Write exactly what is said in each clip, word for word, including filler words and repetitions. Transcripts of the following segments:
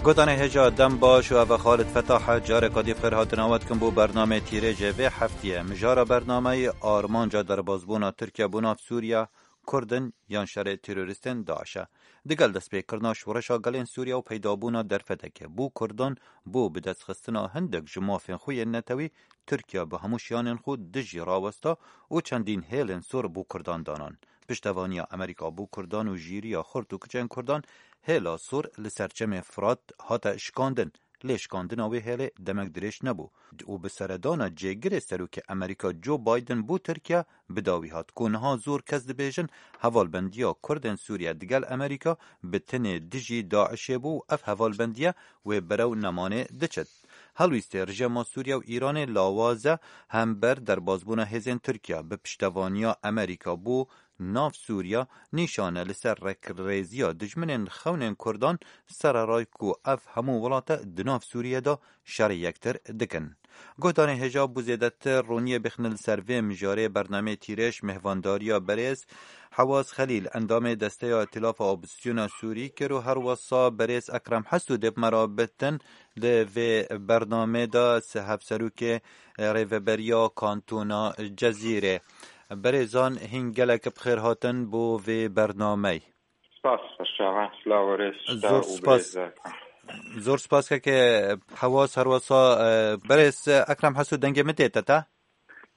Gotanê hêja dem baş û ev e Xalid Fetah e. Careka dî xêr hatina we dikim bo bernameyê tîrêjê vê heftiyê. Mijara bernameyê armanca derbazbûna Tirkiye bo nav Sûriye, Kurd in yan şerê terorîstên DAIŞ e. Digel destpêkirina şoreşa gelên Sûriye û peydabûna derfetekê bo Kurdan, bo bidestxistina hindek ji mafên xwe yên netewî, Tirkiye bi hemû şiyanên xwe dijî rawesta û çendîn hêlên sor bo Kurdan danan. Piştevaniya Amerîka bo Kurdan û jîriya xurt û kiçên Kurdan, hêla sor li ser çemê Firat hate şikandin. Lê şikandina wê hêlê demek dirêj nebû û bi seredana cêgirê serokê Amerîka Joe Biden bo Tirkiye bi dawî hat, ku niha zor kes dibêjin hevalbendiya Kurdên Sûriye digel Amerîka bi tinê dijî DAIŞê bû û ev hevalbendiye wê berew nemanê diçit. Helwîstê rejîma Sûriye û Îranê lawaz e hember derbazbûna hêzên Tirkiye bi piştevaniya Amerîka bo nav Sûriye nîşan e li ser rekrêziya dijminên xewnên Kurdan, sereray ku ev hemû welate di nav Sûriye de şerê yektir dikin. Guhdarên hêja bo zêdetir roniyê bixine li ser vê mijarê bernameyê tîrêj mêhvandariya berêz Hewaz Xelîl, endamê Desteya Îtîlafa Opozisyona Sûrî kir û herwesa berêz Ekrem Heso dê bi me re bitin li vê bernamê de, se-, hevserokê Rêveberiya Kantona Cezîrê. Berêzan hîn gelek bi xêr hatin bo vê bernameyê. Spas, spas çavan, silav û rêz. Zor spas. Zor spas keke Hewaz herwesa, e, berêz Ekrem Heso dengê min tê te te?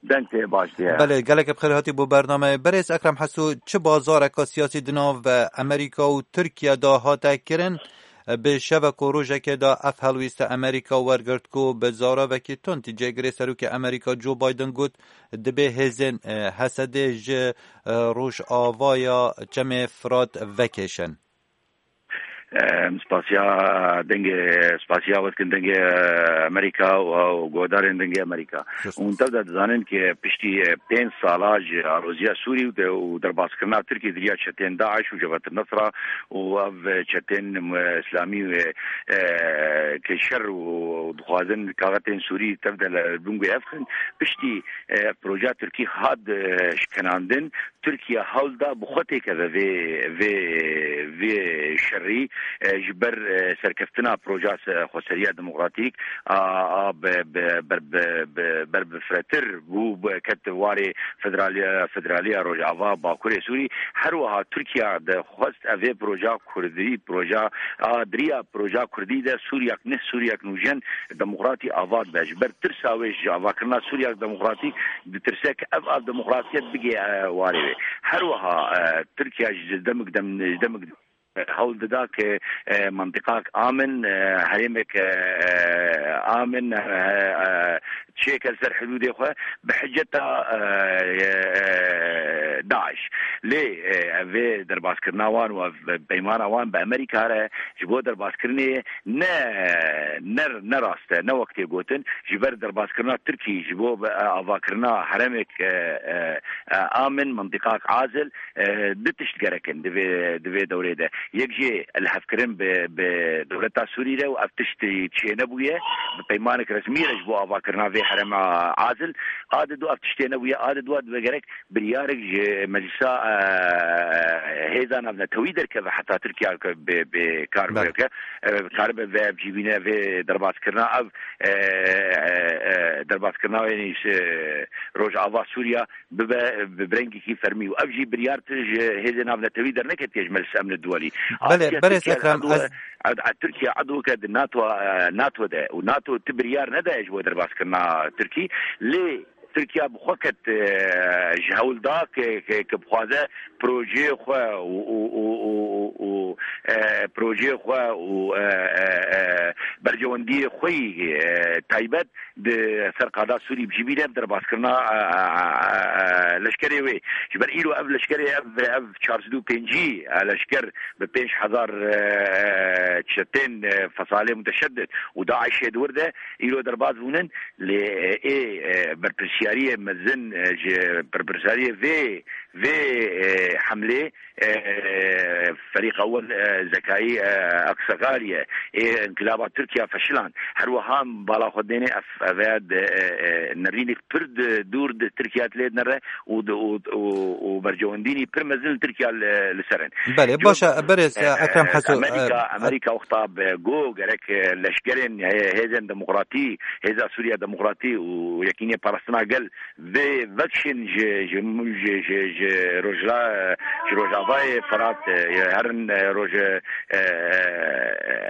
Deng tê, baş diye. Belê, gelek bi xêr hatî bo bernameyê. Berêz Ekrem Heso, çi bazareka siyasî di nav Amerîka û Tirkiye de hate kirin? Bi şevek û rojekê de ev helwîste Amerîka wergirt ku bi zaravekî tund cêgirê serokê Amerîka Joe Biden got, dibê hêzên, e, Hesedê ji, e, rojavaya çemê Firat vekêşin. Em spasiya dengê, spasiya we dikin dengê Amerîka û, û guhdarên dengê Amerîka. Hûn tev de dizanin ku piştî, e, pênc sala ji aloziya Sûrî û de, û derbazkirina Tirkî di riya çetên DAIŞ û Cebhet Nusra û ev çetên, e, îslamî, e, e, ke şer û dixwazin kaxetên Sûrî tev de li bin guhê hev xin. Piştî, e, projeya Tirkî hat, e, şikenandin, Tirkiye hewl da bi xwe têkeve vê, vê, vê şerî, e, ji ber, e, serkeftina projeya se-, xweseriya demokratîk a, a bi, bi, ber, bi, bi, ber bi firehtir bû, bi, ket warê federaliya, federaliya Rojava Bakurê Sûrî. Her wiha Tirkiye dixwest ev ê projeya Kurdî, projeya a diriya projeya Kurdî de Sûriyek, neh Sûriyek nûjen demokratî ava dibe. Ji ber tirsa wê ji avakirina Sûriyek demokratî ditirse ku ev av demokratiyet bigê, e, warê wê. Her wiha, e, Tirkiye ji demik dem, ji demik hewl dida ku, e, mentiqak amin, e, herêmek, e, e, amin, e, e, çêke li ser hidûdê xwe bi hiceta, e, e, DAIŞ. Lê, e, ev vê derbazkirina wan û ev peymana wan bi Amerîka re ji bo derbazkirinê ne, ne, ne rast e, ne wek tê gotin, ji ber derbazkirina Tirkî ji bo, e, avakirina herêmek, e, e, e, amin, mintîqak azil, e, du tişt gerek in di vê, di vê dewrê de. Yek jê lihevkirin bi, bi dewleta Sûrî re û ev tişt çênebûye, bi peymanek resmî re ji bo avakirina vê herêma azil. A di du ev tişt tênebûye, a di du dibe gerek biryarek ji meclisa, e, hêza navnetewî derkeve heta Tirkiye ke bi, bi kar Belê. bike, e, karibe vê ev cîbîne vê derbazkirina ev, e, e, e, derbazkirina wê nîş, e, Rojava Sûriya bibe bi, bi rengekî fermî û ev jî biryar tu ji hêzên navnetewî derneketiye ji Meclis Emnê Duwelî. Belê, Astiya berêz Tirkiye Ekrem, edo, ez ed-, ed-, Tirkiye edoke di NATO, e, NATO de û NATO ti biryar nedaye ji bo derbazkirina Tirkî. Lê Tirkiye bi xwe ket, e, ji hewl da ke, ke, ke bixwaze projeyê xwe û, û, û, û, û, û, e, projeyê xwe û, e, e, e, berjewendiyê xwe yî, e, taybet di ser qada Sûrî bi cî bîne bi derbazkirina, e, e, e, e, leşkerê wê. Ji ber îro ev leşkerê, ev, ev çar sed û pêncî, e, leşker bi pênc hezar, e, çetên, e, fesalê muteşeddid û DAIŞê di wir de îro derbaz bûnin. Lê, e, ê, e, berpirsiyariyê mezin, e, ji berpirsiyariyê vê vê, e, hemlê, e, Ferîq Ewel, e, Zekayî, e, Aksaxalî ye. Ê, Inkilaba Tirkiye feşilan. Her wiha bala xwe dêne ev, ev e de, e, e, nerînek pir di, dûr di Tirkiye lê dinere û di, û, û, û bercewendînî pir mezin li Tirkiye li, li ser in. Belê, Cor baş e, berêz, e, e, Ekrem Heso, e, Amerîka, Amerîka wexta bi go gerek, e, leşkerên, e, hêzên demokratî, Hêza Sûriya Demokratî û Yekînê Parastina Gel vê vekşin ji, ji, ji, ji, ji Rojla-, ji Rojavayê Firat, e, herin, e, Roj-, e,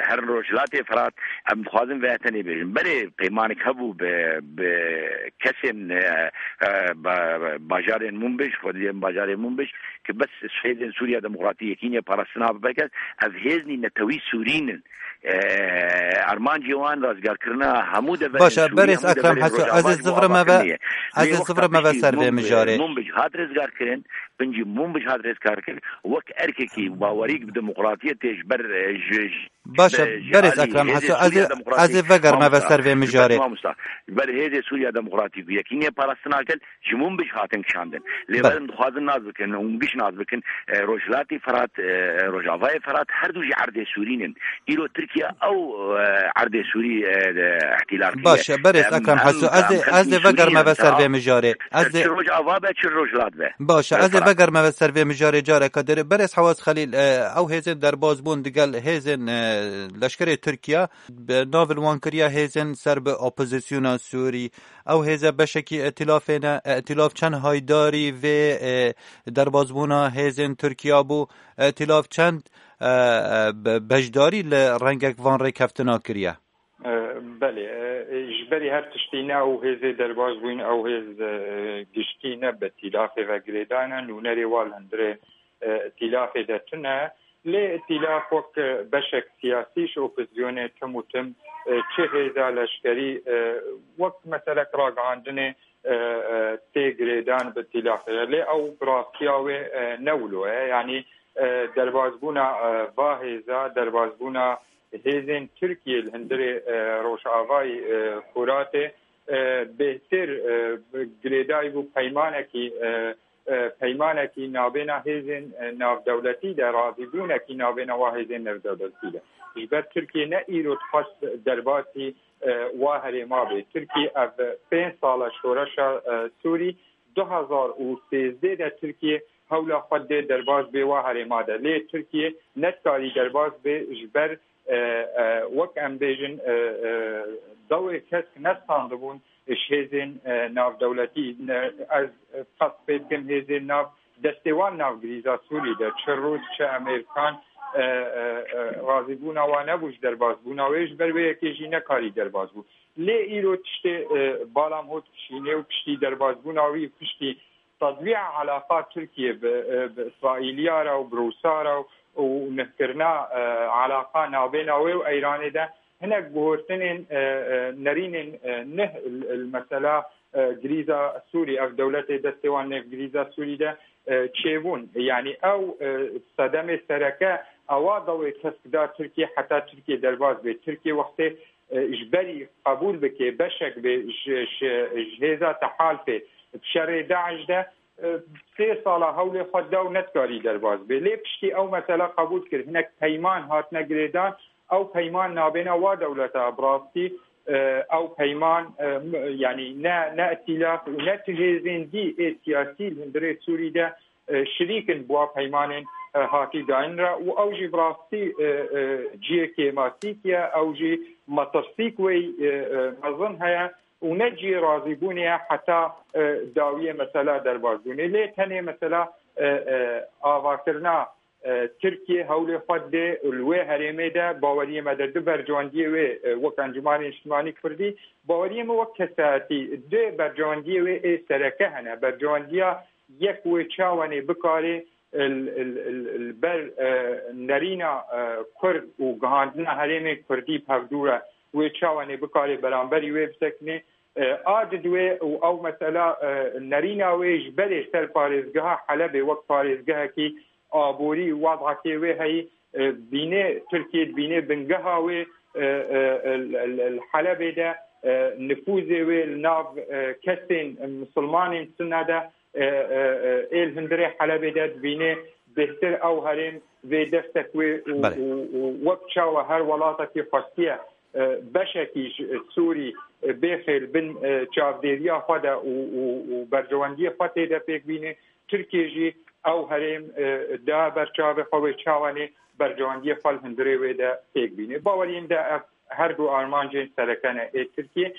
herin Rojhilatê Firat, em dixwazin vê tenê bêjin. Belê peymanek hebû bi, bi kesên, e, e, ba-, bajarên Munbij, xwediyên bajarê Munbij, ki bes hêzên Sûriya Demokratî, Yekînê Parastina bibe kes, ev hêznî netewî Sûrî nin. E, armancê wan razgarkirina hemû deverên Baş e, Sûrî, berêz hemû Ekrem deverên Heso, ez ê Rojava ji bo zivirime ve, avakirinê ye. ez Lê ê wexta zivirime ve piştî ser vê Mûn-, mijarê. Mûnbij hat rizgarkirin, bin jî Mûnbij hat rizgarkirin, wek erkekî bawerî bi demokratiyê tê ji ber, e, ji, ji, Baş e, ji berêz alî Ekrem hêzê Heso, ez Sûriya ê, Demokratî ez ê vegerime ve mamosta. ser vê Ji ber mijarê. mamosta. Ji ber hêzê Sûriya Demokratî ku Yekînê Parastina Gel ji Mûnbij hatin kişandin. Lê Belê. berin dixwazin nas bikin û giş nas bikin, e, Rojhilatê Firat, e, Rojavayê Firat her du jî erdê Sûrî nin. Îro Tirkiye ew, e, erdê Sûrî, e, de îhtîlal kiriye. Baş e, berêz Em, Ekrem em, Heso, ez em ê, xelkê ez ê Sûrî vegerime nin. ve ser vê mijarê. Ez Çi ê Rojava be, çi Rojhilat be. Baş e, E, ez ê Firat. vegerime ve ser vê mijarê careke dir. Berêz Hewaz Xelîl, e, ew hêzên derbaz bûn digel hêzên, e, leşkerê Tirkiye, bi nav li wan kiriye hêzên ser bi opozisyona Sûrî. Ew hêze beşekî îtîlafê ne. Îtîlaf çend haydarî vê, e, derbazbûna hêzên Tirkiya bû? Îtîlaf çend, e, e, be-, beşdarî li rengek van rêkeftina kiriye? E, belê, e, ji berî her tiştî ne ew hêzê derbaz bûyîn, ew hêz, e, giştî ne bi îtîlafê ve girêdayî ne, nûnerê wan li hundirê, e, îtîlafê de tune. Lê îtîlaf wek, e, beşek siyasî ji opozisyonê tim û tim, e, çi hêza leşkerî, e, wek meselek ragihandinê, e, e, tê girêdan bi îtîlafê de. Lê ew bi rastiya wê, e, ne wilo ye. Yanî, e, derbazbûna, e, va hêza, derbazbûna hêzên Tirkiyê li hundirê, e, Rojavayî, e, Furatê, e, bêhtir, e, girêdayî bû peymanekî, e, e, peymanekî navbêna hêzên, e, navdewletî de, razîbûnekî navbêna wa hêzên navdewletî de. Ji ber Tirkiye ne îro dixwest derbasî, e, wa herêma bê. Tirkiye ev pênc sala şoreşa, e, Sûrî, du hezar û sêzdeh de Tirkiye hewla xwe dê derbas bê wa herêma de. Lê Tirkiye nedikarî derbas bê ji ber, e, e, wek em bêjin, e, e, dewê kesk nestandibûn ji hêzên, e, navdewletî. Ne, ez, e, qet pê dikim hêzên nav destê wan nav grîza Sûrî de, çi Rûs, çi Amerîkan, e, e, e, razîbûna wan nebû ji derbasbûna wê, ji ber wê yekê jî nekarî derbas bû. Lê îro tiştê, e, bala min hot kişînê û piştî derbasbûna wî, piştî tedwîa alaqa Tirkiye bi, e, bi Îsraîliya re û bi Rûsa re û nihkirina, e, alaqa navbêna wê û Îranê de hinek guhortinên, e, e, nerînên, e, nih li, li mesela, e, grîza Sûrî, ev dewletê destê wan nêv grîza Sûrî de, e, çêbûn. Yanî ew, e, sedemê sereke ewa dewê kesk da Tirkiye heta Tirkiye derbas bê. Tirkiye wextê, e, ji berî qebûl bike, beşek bê ji, ji, ji hêza tehalfê bi şerê DAIŞ de, e, sê sala hewlê xwe da û nedikarî derbas bê. Lê piştî ew mesela qebûl kir, hinek peyman hatine girêdan, ew peyman nabêna wa dewleta bi rastî, e, ew peyman, e, m-, yanî ne, ne îtîlaf û ne tu hêzên dî ê siyasî li hundirê Sûrî de, e, şirîk in bi wa peymanên, e, hatî dayîn re û ew jî bi rastî, e, e, cihê kêmasîk ye, ew jî metirsîk wê, e, e, mezin heye û ne cihê razîbûnê ye heta, e, dawiyê mesela derbasbûnê. Lê tenê mesela, e, e, avakirina, e, Tirkiye hewlê xwe dê li wê herêmê de baweriyê me de du bercewendiyê wê, e, wek Encûmanê Niştimanî Kurdî, baweriyê min wek kesayetî du bercewendiyê wê ê sereke hene. Bercewendiya yek wê çawanê bikarê, e, l-, l-, l-, li ber, e, nerîna, e, Kurd û gihandina herêmê Kurdî bi hevdû re wê çawanê bikarê beramberî wê bisekinê. E, a didwê û ew mesela, e, nerîna wê ji berê ser parêzgeha Helebê wek parêzgehekî aborî, wadakê wê heyî, e, bînê Tirkiye, bînê bingeha wê, e, e, e, li, li, li Helebê de, e, nifûzê wê li nav, e, kesên misilmanên Sunne de, e, e, e, Ê li hundirê Helebê de dibîne bêhtir ew herêm vê destek wê û, Belê. û, û wek çawa her welatekî xwestiye, e, beşekî ji Sûrî, e, bêxê li bin, e, çavdêriya xwe de û, û, û berjewendiyê xwe tê de pêk bîne. Tirkiye jî ew herêm, e, da ber çavê xwe wê çawa nê berjewendiyê xwe li hundirê wê de pêk bîne. Baweriyên de ev her du armancên sereke ne ê Tirkiye.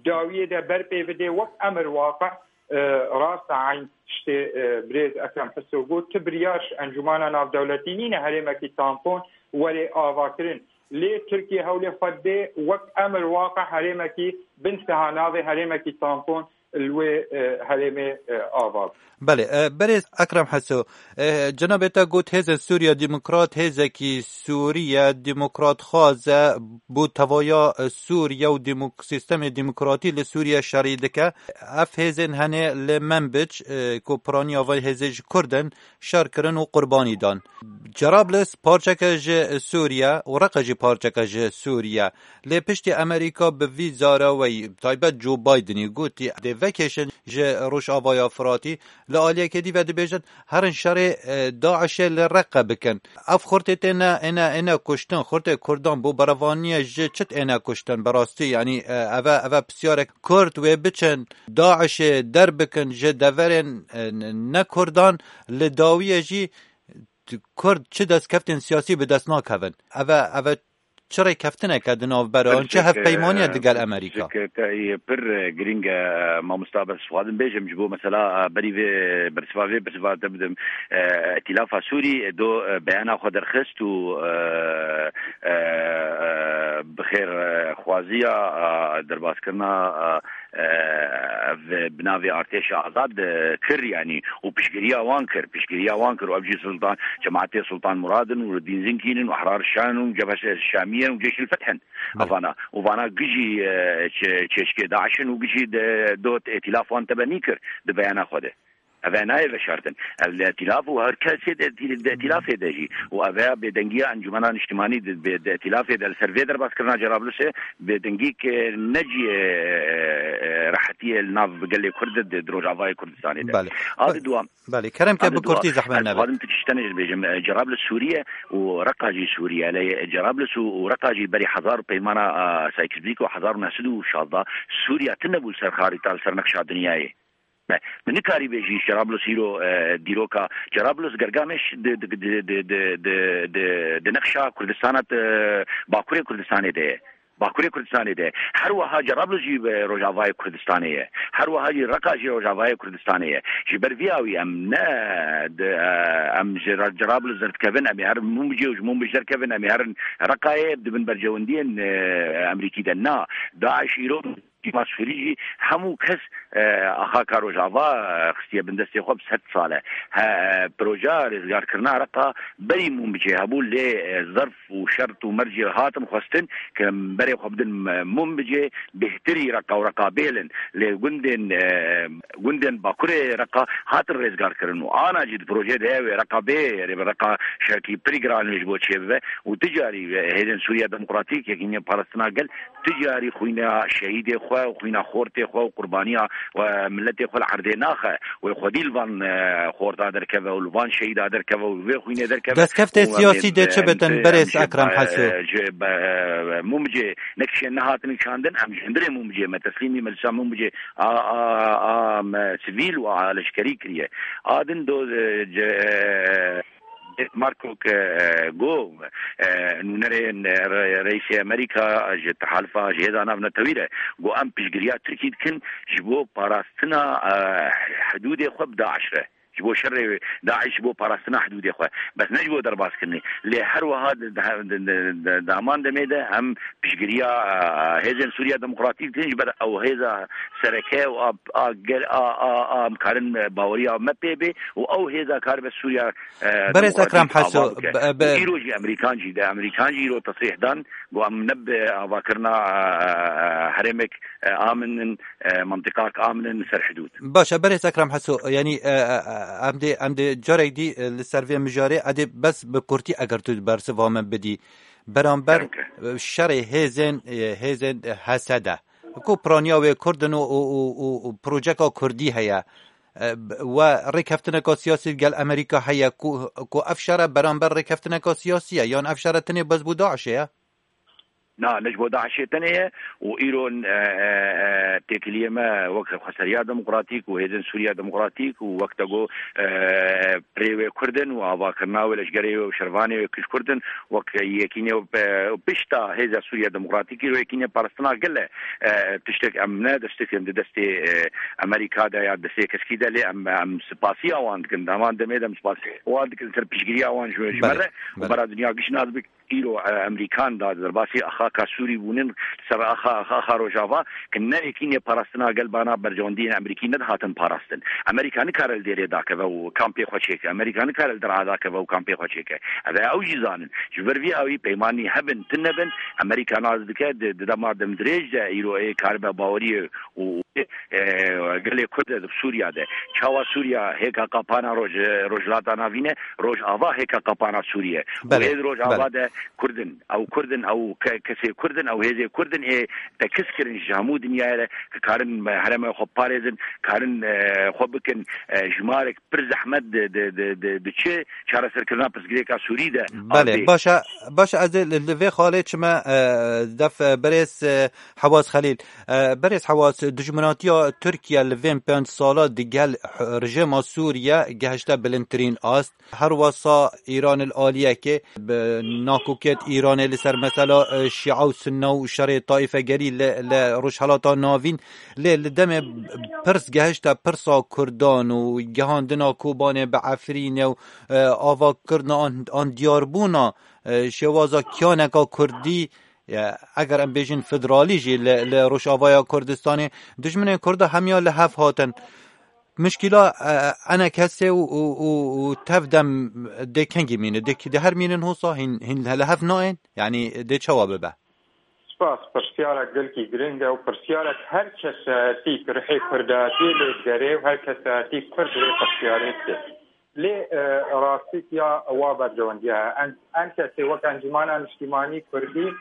Dawiyê de ber pê bidê wek emir waqe, e, rast e eyn tiştê, e, birêz Ekrem Hiso got, tu biryar ji Encûmana Navdewletî nîne herêmekî tampon were avakirin. Lê Tirkiye hewlê xwe dê wek emir waqe herêmekî bin siha navê herêmekî tampon li wê, e, herêmê, e, ava. Belê, e, berêz Ekrem Heso, e, cenabê te got hêzên Sûriya Demokrat, hêzekî Sûriye Demokrat xwaze bo tevaya, e, Sûriye û demok-, sîstemê demokratî li Sûriye şerî dike. Ev hêzên henê li Menbic, e, ku piraniya van hêzê ji Kurd in, şer kirin û qurbanî dan. Cerablus parçeke ji Sûriye û Reqa jî parçeke ji Sûriye. Lê piştî Amerîka bi vî zareweyî, taybet Joe Bidenî gotî, dê vekêşin ji Rojavaya Firatî, li aliyekê dî ve dibêjin, herin şerê, e, DAIŞê li Reqe bikin. Ev xurtê tê ne, êne, êne kuştin, xurtê Kurdan bo berevaniye ji çi êne kuştin, bi rastî, yanî, e, eve, eve pisyarek Kurd wê biçin, DAIŞê derbikin ji deverên, e, ne Kurdan, li dawiyê jî Kurd çi destkeftên siyasî bi dest nakevin. Eve, eve çi rêkeftineke di navbera an, çi hevpeymaniyek digel Amerîka? Pir, e, girîng e, mamosta, bes xwazim bêjim ji bo mesela, e, berî vê bersiva vê bersiva te bidim. E, Îtîlafa Sûrî, e, do, e, beyana xwe derxist û, e, e, e, bi xêr, e, xwaziya, e, derbaskirina, e, e, ev bi navê artêşa azad, e, kir, yanî, û piştgiriya wan kir, piştgiriya wan kir, û ev jî Sultan, cemaetê Sultan Murad in û Dîn Zinkîn in û Ehrar Şam û Cebhe Şamiye in û Ceyşil Feth in. Belê. Evana, û vana gijî, e, çe-, çêşkê DAIŞ in û gijî de, dot îtîlaf wan tebenî kir di beyana xwe de. Eve nayê veşartin. Ev li îtîlaf û her kesê de, de îtîlafê de jî. Û eve bêdengiya Encûmena Niştimanî di, bê, di îtîlafê de li ser vê derbazkirina Cerablusê bêdengî ke ne cihê, e, e, rehetiyê li nav gelê Kurd de, di Rojavayê Kurdistanê de. Belê. A di duam. Belê, kerem ke bi kurtî zehmet nebe. Ez dixwazim tu tiştene jî bêjim. E, Cerablus Sûriye û Reqa jî Sûriye. Lê Cerablus û, û Reqa jî berî hezar peymana, e, Sykes-Picot hezar û neh sed û şazda Sûriye tune bû li ser xarîta, li ser nexşa dinyayê. Me, tu nikarî bêjî Cerablus îro, e, dîroka Cerablus Gergameş di, di, di nexşa Kurdistana, e, Bakurê Kurdistanê de ye. Bakurê Kurdistanê de ye. Her wiha Cerablus jî, e, Rojavayê Kurdistanê ye. Her wiha jî Reqa jî Rojavayê Kurdistanê ye. Ji ber vî awî em ne, di, e, em ji Ra-, Cerablus derdikevin, em ê herin Mûmbicê û ji Mûmbic derkevin, em ê herin Reqayê, dibin bercewendiyên, e, Emerîkî de. Na, DAIŞ îro Hikûmeta Sûrî jî hemû kes, e, axaka Rojava, e, xistiye bin destê xwe bi sed sal e. He, projeya rêzgarkirina Reqa berî Mûmbicê hebû, lê, e, zerf û şert û mercê hatin xwestin ke berê xwe bidin, e, Mûmbicê, bêhtirî Reqa û Reqa bêlin. Lê gundên, e, gundên Bakurê Reqa hatin rêzgarkirin û ana jî di projeyê de ye wê Reqa bê, rê bi Reqa şerkî pirî giran ji bo çêbibe û ti carî, e, hêzên Sûriya Demokratîk, Yekînîya Parastina Gel, Ti carî xwîna şehîdê xwe û xwîna xortê xwe û qurbaniya, e, miletê xwe li erdê naxe. Wê xwedî li van, e, xorta derkeve û li van şehîda derkeve û li vê xwînê derkeve. Destkeftê siyasî dê çi bitin, berêz Ekrem Heso? Ji, e, Mûmicê ne kişên nehatin çandin, em ji hundirê Mûmicê me teslîmî milisa Mûmicê a, a, a, me sivîl û a leşkerî kiriye. A din do, e, ce, e, Marco ke, e, go, e, nûnerê, e, re-, reîsê Amerîka ji tehalifa, ji hêza navnetewî re go em piştgiriya Tirkî dikin ji bo parastina, e, hidûdê xwe bi DAIŞ re. Ji bo şerê DAIŞ, ji bo parastina hidûdê xwe. Bes ne ji bo derbazkirinê. Lê her wiha di, di, di, di, di, di heman demê de em piştgiriya, e, hêzên Sûriya Demokratîk dikin ji ber ew hêza sereke û a, a, gel-, a, a, a, em karin, e, baweriya me pê bê û ew hêza karibe Sûriya, e, Berêz Ekrem Heso, ava bike. Û îro jî Amerîkan jî de, Amerîkan jî îro tesrîh dan, got em ne bi avakirina, e, herêmek, e, amin in, e, mentiqak amin in li ser hidûd. Baş e, berêz Ekrem Heso, yanî, e, e, e, em dê, em dê carek dî, e, li ser vê mijarê, edê bes bi kurtî eger tu bersiva min bidî. Beramber, e, şerê hêzên, e, hêzên H S D. Ku piraniya wê Kurd in û, û, û, û, û projeka Kurdî heye. E, b-, we rêkeftineka siyasî gel Amerîka heye ku, ku ev şere beramber rêkeftineka siyasî ye, yan ev şere tenê bes bo DAIŞê ye? Na, ne ji bo DAIŞê tenê ye û îro, e, e, e, têkiliyê me wek Xweseriya Demokratîk û Hêzên Sûriya Demokratîk û wek te got, e, pirê wê Kurd in û avakirina wê, leşgerê wê û şervanê wê ku ji Kurd in, wek yekînê, e, pişta Hêza Sûriya Demokratîk îro yekînê parastina gel e. E, tiştek em ne dest dikin di destê, e, Amerîka de ya destê keskî de, lê em, em spasiya wan dikin. Di heman demê de em spasiya wan dikin ser piştgiriya wan ji, ji me Belê, re û belê. bera dinya giş nas bik. Îro, e, Amerîkan da derbasî axaka Sûrî bûnin, ser axa, axa, axa Rojava, ki ne yekînê parastina gel bana berjewendiyên Amerîkî nedihatin parastin. Amerîka nikare li dêrê dakeve û kampê xwe çêke. Amerîka nikare li Der'a dakeve û kampê xwe çêke. Ev e ew jî zanin. Ji ber vî awî peymanî hebin, tune bin, Amerîka nas dike di, di dema demdirêj de îro ê karibe baweriyê û, e, gelê Kurd de di Sûriya de. Çawa Sûriya hêka qapana roj-, Rojhilata Navîn e, Rojava hêka qapana Sûriye. Û Belê, ê di Rojava belê. de Kurd in. Ew Kurd in, ew ke-, kesê Kurd in, ew hêzê Kurd in, ê tekis kirin ji hemû dinyayê re, ki karin herêmê xwe parêzin, karin, e, xwe bikin, e, jimarek pir zehmet di, di, di, di, di çi çareserkirina pirsgirêka Sûrî de Belê, baş e, baş e, ez ê li, li vê xalê çime, e, def, e, berêz, e, Hewaz Xelîl. E, berêz Hewaz, dijminatiya Tirkiye li vên pênc sala digel h-, rejîma Sûriye gehişte bilindtirîn ast. Her wesa Îran li aliyekê bi nakokiyet Îranê li ser mesela, e, Şîa û Sunne û şerê taîfegerî li, li Rojhelata Navîn. Lê li demê pirs gehişte pirsa Kurdan û gihandina Kobanê bi Efrînê û, e, avakirina an, an diyarbûna, e, şêwaza kiyaneka Kurdî, e, eger em bêjin federalî jî li, li Rojavaya Kurdistanê, dijminên Kurda hemiya li hev hatin. Mişkîla, e, enekesê û, û, û, û tev dem dê kengî mîne? Dê ki-, dê her mînin hosa hîn, hîn li hev nayên? Yanî dê çawa bibe? Spas, pirsiyarek gelkî giring e û pirsiyarek her kesayetî ku rihê kurdatiyê lê digerê û her kesayetî kurd wê pirsiyarê dike. Lê, e, rastîtiya wa berjewendiya heye. En, en kesê wek Encûmana Niştîmanî Kurdî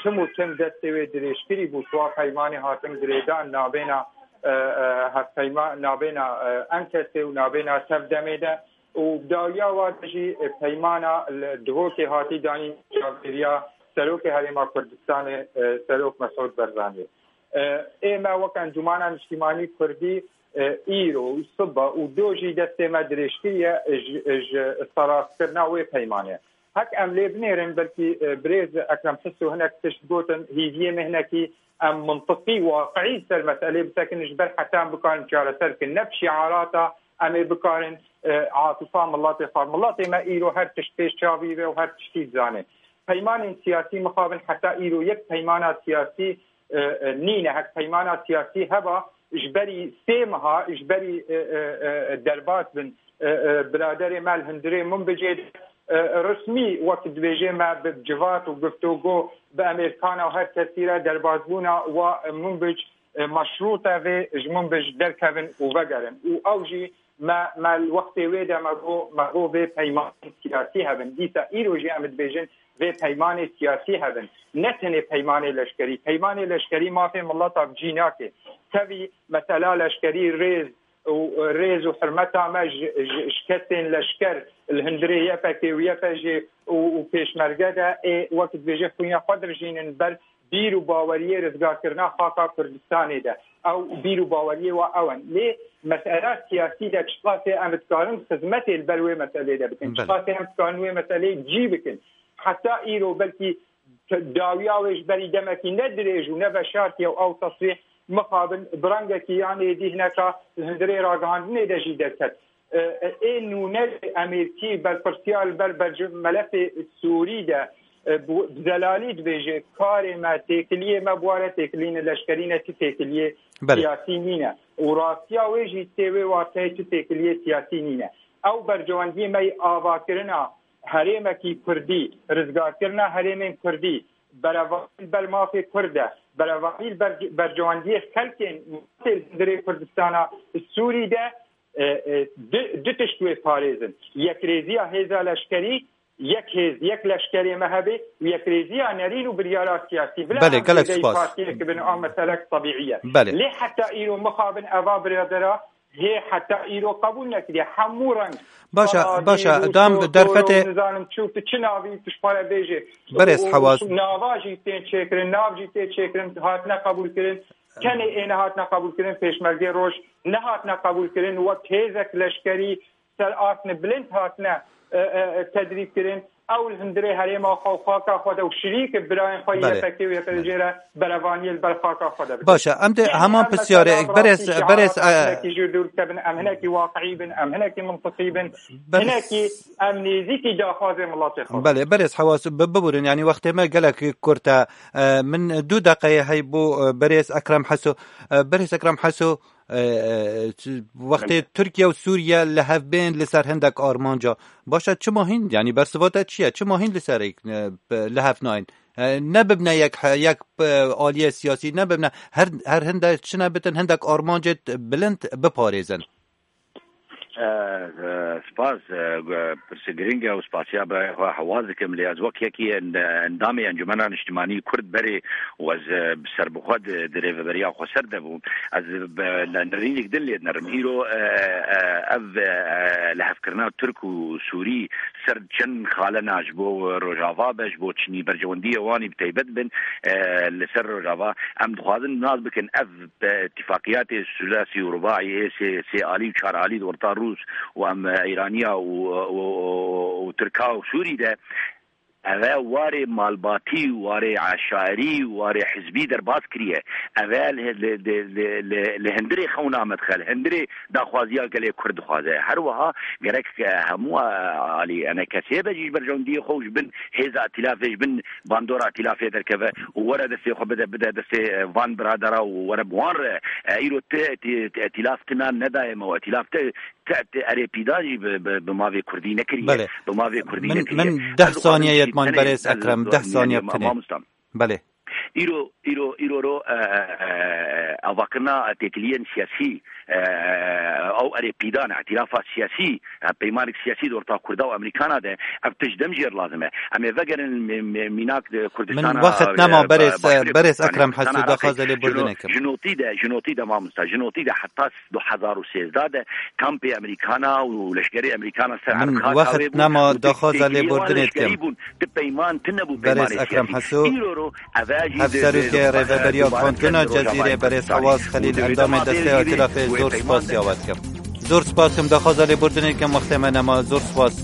tim û tim destê wê dirêjkirî bû, siwa peymanê hatin girêdan nabêna, e, e, hevpeyma-, nabêna, e, en kesê û nabêna tev demê de. Û dawiya wa de jî, e, peymana li Duhokê hatî danîn çavdêriya Serokê Herêma Kurdistanê, e, Serok Mesûd Barzanî. E, ê me wek Encûmana Niştîmanî Kurdî, e, îro û sibe û do jî destê me dirêj kiriye, e, ji, e, ji serastkirina wê peymanê. Hek em lê binêrin, belkî, e, birêz Ekrem Tiso hinek tişt gotin, hêviyê me hinekî em mintiqî, waqiî ser meselê bisekin, ji ber heta em bikarin çareser bikin. Ne bi şiarata em ê bikarin, e, atifa miletê xwe. Miletê me îro her tişt pêş çavî ve û her tiştî dizane. Peymanên siyasî mixabin heta îro yek peymana siyasî, e, e, nîne. Hek peymana siyasî heba, ji berî sê meha, ji berî, e, e, e, derbas bin, e, e, biraderê me li hundirê Minbicê de, e, resmî wek dibêje me bi civat û guftûgo bi Amerîkana û her kesî re derbasbûna wa Minbic, e, meşrût e vê ji Minbic derkevin û vegerin. Û ew jî me, me li wextê wê de me got, me got vê peymanên siyasî hebin. Dîsa îro jî em dibêjin vê peymanê siyasî hebin. Ne tenê peymanê leşkerî. Peymanê leşkerî mafê mileta bi cî nake. Tevî mesela leşkerî rêz û, rêz û hurmeta me ji, ji, ji kesên leşker li hundirê Y P G û Y P G û, û pêşmerge de ê wek dibêje xwîna xwe dirijînin ber bîr û baweriyê rizgarkirina xaka Kurdistanê de. Ew bîr û baweriyê wa ew in. Lê mesela siyasî de çiqasê em dikarin xizmetê li ber wê meselê de bikin? Belê. Çiqasê em dikarin wê meseleyê cî bikin? Heta îro belkî dawiya wê ji berî demekî ne dirêj û ne veşartiye û ew tesrîh mixabin bi rengekî yan êdî hineka li hundirê ragihandinê de jî derket. E, e, ê nûne Amerîkî berpirsiyar li ber berc-, melefê Sûrî de, e, bi, bi zelalî dibêje, karê me, têkiliyê me bi ware têkilîne leşkerî ne, ti têkiliyê Belê. siyasî nîne. Û rastiya wê jî tê wê wateyê ti têkiliyê siyasî nîne. Ew bercewendiyê me yê avakirina herêmekî Kurdî, rizgarkirina herêmên Kurdî, berevahî li ber mafê Kurd e, berevahî li ber, bercewendiyê xelkên mafê li hundirê Kurdistana Sûrî de, e, e, du, du tişt wê parêzin. Yekrêziya hêza leşkerî, yek hêz, yek leşkerê me hebe û yekrêziya nerîn û biryara siyasî. Bila Belê, em gelek zêdeyî spas. partiyek bin, a meselek tebîî ye. Belê. Lê heta îro mixabin eva biradera Yê heta îro qebûl nekiriye. Hemû reng. Baş e, Saladî, baş e, Rûs, dam Doktor derfetê û nizanim çû, tu çi navî, tu ji xwe re bêjê. Berêz Û Hewaz. Nava jî tên çêkirin, nav jî tê çêkirin, hatine qebûlkirin. Tenê ê nehatine qebûlkirin, pêşmergê roj nehatine qebûlkirin. Wek hêzek leşkerî ser astine bilind hatine, e, e, e, tedrîb kirin. Ew li hundirê herêma xwe û xaka xwe de û şirîk birayên xwe Belê. Y P G û Y P G re berevaniyê li ber xaka xwe de bikin. Baş e, em dê Yani heman em pisyarê, mesela berêz, rastî berêz, şiara e, xweşinekî ji dûr dikevin, em hinekî waqiî bin, em hinekî mintiqî bin, Berêz. Hinekî em nêzîkî daxwazê miletê xwe bin. Belê, berêz Hewas, bi-, biburin, yani wextê me gelek kurt e. E, min du deqeyê hey bo, e, berêz Ekrem Heso. E, berêz Ekrem Heso, e, e, ç-, wextê Tirkiye û Sûriye li hev bên li ser hindek armanca. Baş e, çima hîn, yani bersiva te çi ye? Çima hîn li ser, e, li hev nayên? E, ne bibne yek he-, yek, e, aliyê siyasî, ne bibne her, her hinde çine bitin, hindek armancê bilind biparêzin. E, e, spas, e, gu-, pirsê giring e û spasiya be xwe hewaz dikim, lê ez wek yekî en-, endamê Encumena Niştimanî Kurd berê û ez, e, bi serbixwe di, di rêveberiya xweser de bûm. Ez bi ne-, nerînîk din lê dinerim. Îro, e, e, ev, e, lihevkirina Tirk û Sûrî ser çend xalena ji bo Rojava be, ji bo çinî berjewendiyê wanî bi taybet bin, e, li ser Rojava. Em dixwazin nas bikin ev, e, îtifaqiyatê sulasî û rubaî ê sê, sê alî û çar alî di orta Rûs û em, e, Îraniya û, û, û, û Tirka û Sûrî de, ev e warê malbatî, warê eşarî, warê hizbî derbas kiriye. Ev e li, li, li, li, li, li hundirê xewna me dixe, li hundirê daxwaziya gelê Kurd dixwaze. Her wiha gerek, e, hemû, e, alî, enekesê be jî ji berjewendiyê xwe û ji bin hêza îtilafê, ji bin bandora îtilafê derkeve û were destê xwe bide, bide destê, e, van biradera û were bi wan re. E, îro ti, ti, ti îtilaf tina nedaye me û îtilaf ti, ti, ti erê pîdan jî bi, bi, bi mavê Kurdî nekiriye. Belê. Bi mavê Kurdî Min, nekiriye. min deh Ez dixwazim saniye jî yetman tenê, berêz ez Ekrem, deh saniye yanî, bitinê. Mamosta. Belê. Îro, îro, îro ro, e, e, e, avakirina têkiliyên siyasî, e, ew erê pîdan, îtîlafa siyasî, e, peymanek siyasî di orta Kurda û Amerîkana de, ev tişt dem jêr lazim e. Em ê vegerin mê-, mê-, mînak di Kurdistana, Min wext e, nema ba-, berêz, Başûrê berêz Kurdistanê, Ekrem Kurdistana Heso, Iraqê. daxwaza lê Ji no-, bordinê kim. Ji notî de, ji notî de mamosta, ji notî de heta du hezar û sêzdeh de kampê Amerîkana û leşkerê Amerîkana ser Min Erxata wext wê bûn nema û tu daxwaza lê têkiliyê wan bordinê leşkerî dikim. bûn. Ti peyman tune bû Berêz peymanê Ekrem siyasî. Heso, Îro ro, ev e jî di, hevserokê di, Rêveberiya di Kantona Cezîrê, berêz Hewaz Xelîl, endamê desteya îtilafê, zor spas ya we dikim. Zor spas kim, daxwaza lê bordinê kim, wextê me nema, zor spas.